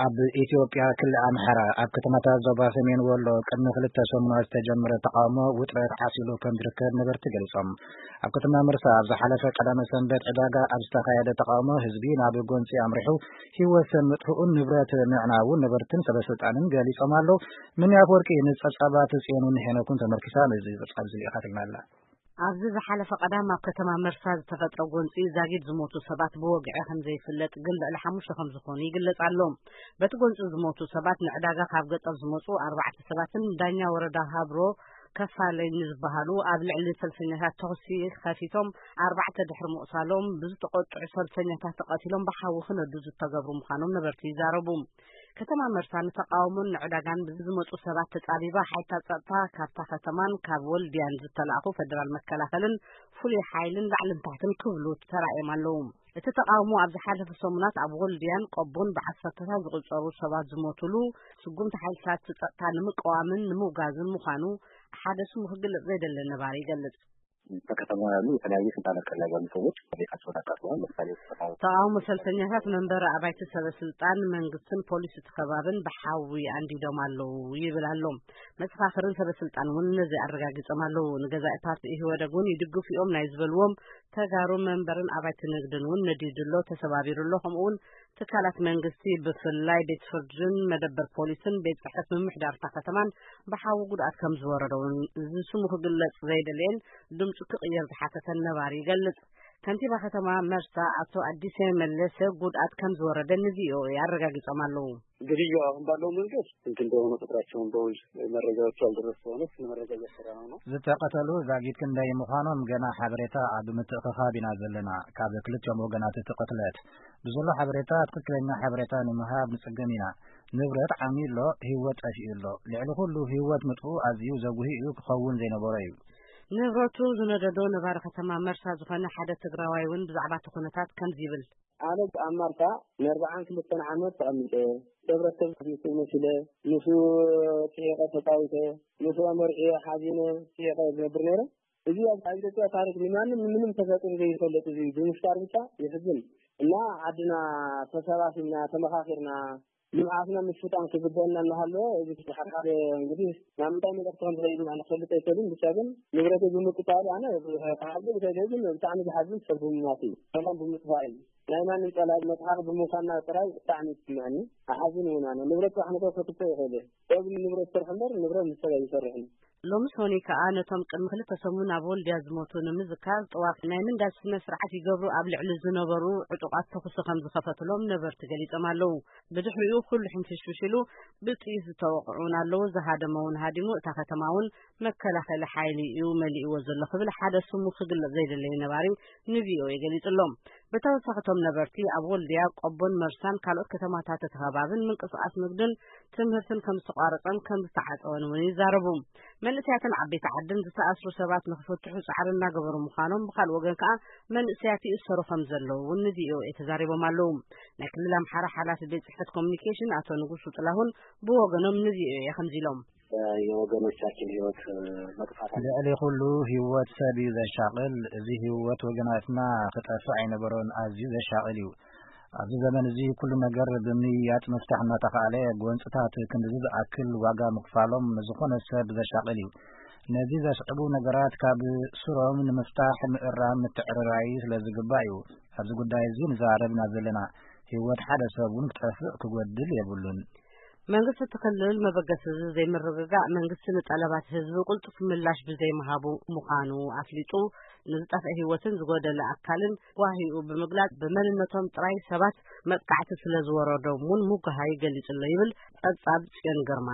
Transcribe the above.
ኣብ ኢትዮጵያ ክልል ኣምሓራ ኣብ ከተማታት ዞባ ሰሜን ወሎ ቅድሚ ክልተ ሰሙናት ዝተጀመረ ተቃውሞ ውጥረት ዓሲሉ ከም ዝርከብ ነበርቲ ገሊጾም። ኣብ ከተማ መርሳ ኣብ ዝሓለፈ ቀዳመ ሰንበት ዕዳጋ ኣብ ዝተኻየደ ተቃውሞ ህዝቢ ናብ ጎንጺ ኣምሪሑ ህይወት ሰብ ምጥፍኡን ንብረት ምዕናውን ነበርትን ሰበስልጣንን ገሊጾም ኣለዉ። ምንያፍ ወርቂ ንጸብጻባት ጽዮንን ሄኖክን ተመርኪሳ ነዚ ጸብጻብ እዚ ልኢኻትልና ኣላ። ኣብዚ ዝሓለፈ ቀዳም ኣብ ከተማ መርሳ ዝተፈጥረ ጎንፂ ዛጊድ ዝሞቱ ሰባት ብወግዒ ከም ዘይፍለጥ ግን ልዕሊ ሓሙሽተ ከም ዝኾኑ ይግለጽ ኣሎ። በቲ ጎንፂ ዝሞቱ ሰባት ንዕዳጋ ካብ ገጠር ዝመፁ ኣርባዕተ ሰባትን ዳኛ ወረዳ ሃብሮ ከፋለኝ ዝበሃሉ ኣብ ልዕሊ ሰልፈኛታት ተኹሲ ከፊቶም ኣርባዕተ ድሕሪ ምቑሳሎም ብዝተቆጥዑ ሰልፈኛታት ተቐቲሎም ብሓዊ ክነዱ ዝተገብሩ ምዃኖም ነበርቲ ይዛረቡ። ከተማ መርሳ ንተቃውሞን ንዕዳጋን ብዝመፁ ሰባት ተፃቢባ ሓይልታት ፀጥታ ካብታ ከተማን ካብ ወልድያን ዝተላእኹ ፈደራል መከላኸልን ፍሉይ ሓይልን ላዕልን ታሕትን ክብሉ ተራእዮም ኣለዉ። እቲ ተቃውሞ ኣብ ዝሓለፈ ሰሙናት ኣብ ወልድያን ቆቦን ብዓሰርተታት ዝቑጸሩ ሰባት ዝሞቱሉ ስጉምቲ ሓይልታት ፀጥታ ንምቅዋምን ንምውጋዝን ምዃኑ ሓደ ስሙ ክግለጽ ዘይደለ ነባሪ ይገልጽ። በከተማ ያሉ የተለያዩ ስልጣን እርከን ላይ ያሉ ሰዎች ቤታቸውን አቃጥለዋል። ለምሳሌ ተቃውሞ ሰልፈኛታት መንበሪ ኣባይቲ ሰበ ስልጣን መንግስትን ፖሊስ እቲ ከባብን ብሓዊ ኣንዲዶም ኣለዉ ይብል ኣሎ። መሰኻኽርን ሰበ ስልጣን እውን ነዚ ኣረጋጊጾም ኣለዉ። ንገዛኢ ፓርቲ ኢህወደግ እውን ይድግፉ እዮም ናይ ዝበልዎም ተጋሩ መንበርን ኣባይቲ ንግድን እውን ነዲዱ ኣሎ፣ ተሰባቢሩ ኣሎ። ከምኡ እውን ትካላት መንግስቲ ብፍላይ ቤት ፍርድን መደበር ፖሊስን ቤት ጽሕፈት ምምሕዳር እታ ከተማን ብሓዊ ጉድኣት ከም ዝወረዶ እውን እዚ ስሙ ክግለጽ ዘይደለየን ድምጹ ክቕየር ዝሓተተን ነባሪ ይገልጽ። ከንቲባ ከተማ መርሳ ኣቶ ኣዲሴ መለሰ ጉድኣት ከም ዝወረደ ንቪኦኤ ኣረጋጊጾም ኣለዉ። ግድያው አሁን ባለው መንገድ ስንት እንደሆነ ቁጥራቸውን በውል መረጃዎቹ ያልደረሱ ሆነ ስለ መረጃ እያሰራ ነው ነው። ዝተቐተሉ ዛጊት ክንደይ ምዃኖም ገና ሓበሬታ ኣብ ምትእኽኻብ ኢና ዘለና። ካብ ክልቲኦም ወገናት እቲ ቅትለት ብዘሎ ሓበሬታ ትኽክለኛ ሓበሬታ ንምሃብ ንጽገም ኢና። ንብረት ዓሚ ኣሎ፣ ህይወት ጠፊኡ ኣሎ። ልዕሊ ኩሉ ህይወት ምጥፉ ኣዝዩ ዘጉሂ እዩ፣ ክኸውን ዘይነበሮ እዩ። ንብረቱ ዝነደዶ ነባሪ ከተማ መርሳ ዝኾነ ሓደ ትግራዋይ እውን ብዛዕባ እቲ ኩነታት ከምዚ ይብል። ኣነ ኣብ ማርታ ንኣርባዓን ክልተን ዓመት ተቐሚጠ፣ ሕብረተሰብ ምስኡ መሲለ፣ ምስኡ ስሒቐ ተጻዊተ፣ ምስኡ ኣመርዕየ ሓዚነ ስሒቐ ዝነብር ነይረ። እዚ ኣብ ኣብ ኢትዮጵያ ታሪክ ንማንም ንምንም ተፈጢሩ ዘይፈልጥ እዚ ብምፍጣር ብቻ የሕዝን። እና ዓድና ተሰባሲብና ተመኻኺርና ንብዓትና ምስጣን ክግበአና እናሃለወ እዚ ሓደ እንግዲህ ናብ ምንታይ መልእኽቲ ከም ዝኸይድ ኣነ ክፈልጥ ኣይክእልን። ብቻ ግን ንብረተይ ብምቅጻሉ ኣነ ክሓዝን ይኽእል እየ፣ ግን ብጣዕሚ ዝሓዝን ሰብ ብምማት እዩ፣ ሰላም ብምጥፋእ እዩ። ናይ ማንም ጸላኢ መጽሓፍ ብምዃንና ጥራይ ብጣዕሚ ይስምዐኒ። ኣሓዝን እውን ኣነ ንብረት ጥራሕ ነቶ ከትቶ ይኽእል እየ። ሰብ ንብረት ይሰርሕ እምበር ንብረት ንሰብ ኣይሰርሕን። ሎሚ ሰኑይ ከኣ ነቶም ቅድሚ ክልተ ሰሙን ኣብ ወልድያ ዝሞቱ ንምዝካር ጥዋፍ ናይ ምንዳድ ስነ ስርዓት ይገብሩ ኣብ ልዕሊ ዝነበሩ ዕጡቓት ተኹሲ ከም ዝኸፈትሎም ነበርቲ ገሊጾም ኣለዉ። ብድሕሪኡ ኩሉ ሕንፍሽፍሽ ኢሉ ብጥይት ዝተወቕዑ እውን ኣለዉ። ዝሃደመ እውን ሃዲሙ፣ እታ ከተማ እውን መከላኸሊ ሓይሊ እዩ መሊእዎ ዘሎ ክብል ሓደ ስሙ ክግለጽ ዘይደለየ ነባሪ ንቪኦኤ ገሊጹ ኣሎ። ብተወሳኺ እቶም ነበርቲ ኣብ ወልድያ፣ ቆቦን መርሳን ካልኦት ከተማታት እቲ ከባብን ምንቅስቓስ ንግድን ትምህርትን ከም ዝተቋረጸን ከም ዝተዓጸወን እውን ይዛረቡ። መንእሰያትን ዓበይቲ ዓድን ዝተኣስሩ ሰባት ንክፍትሑ ጻዕሪ እናገበሩ ምዃኖም፣ ብኻልእ ወገን ከኣ መንእሰያት ይእሰሩ ከም ዘለዉ እውን ንቪኦኤ ተዛሪቦም ኣለዉ። ናይ ክልል ኣምሓራ ሓላፊ ቤት ጽሕፈት ኮሚኒኬሽን ኣቶ ንጉሱ ጥላሁን ብወገኖም ንቪኦኤ ከምዚ ኢሎም። የወገኖቻችን ህይወት መጥፋት ልዕሊ ኩሉ ህይወት ሰብ እዩ ዘሻቕል። እዚ ህይወት ወገናትና ክጠፍእ ኣይነበሮን፣ ኣዝዩ ዘሻቕል እዩ። ኣብዚ ዘመን እዚ ኩሉ ነገር ብምምይያጥ ምፍታሕ እናተኻእለ፣ ጎንፅታት ክንድዚ ዝኣክል ዋጋ ምኽፋሎም ንዝኾነ ሰብ ዘሻቕል እዩ። ነዚ ዘስዕቡ ነገራት ካብ ስሮም ንምፍታሕ ምእራም ምትዕርራይ ስለ ዝግባእ እዩ ኣብዚ ጉዳይ እዚ ንዘራረብ ኢና ዘለና። ህይወት ሓደ ሰብ እውን ክጠፍእ ክጎድል የብሉን። መንግስቲ እቲ ክልል መበገሲ እዚ ዘይምርግጋእ መንግስቲ ንጠለባት ህዝቢ ቅልጡፍ ምላሽ ብዘይምሃቡ ምዃኑ ኣፍሊጡ፣ ንዝጠፍአ ህይወትን ዝጎደለ ኣካልን ጓሂኡ ብምግላጽ፣ ብመንነቶም ጥራይ ሰባት መጥቃዕቲ ስለ ዝወረዶም እውን ምጉሃይ ገሊጹ ኣሎ ይብል ጸብጻብ ጽዮን ግርማ።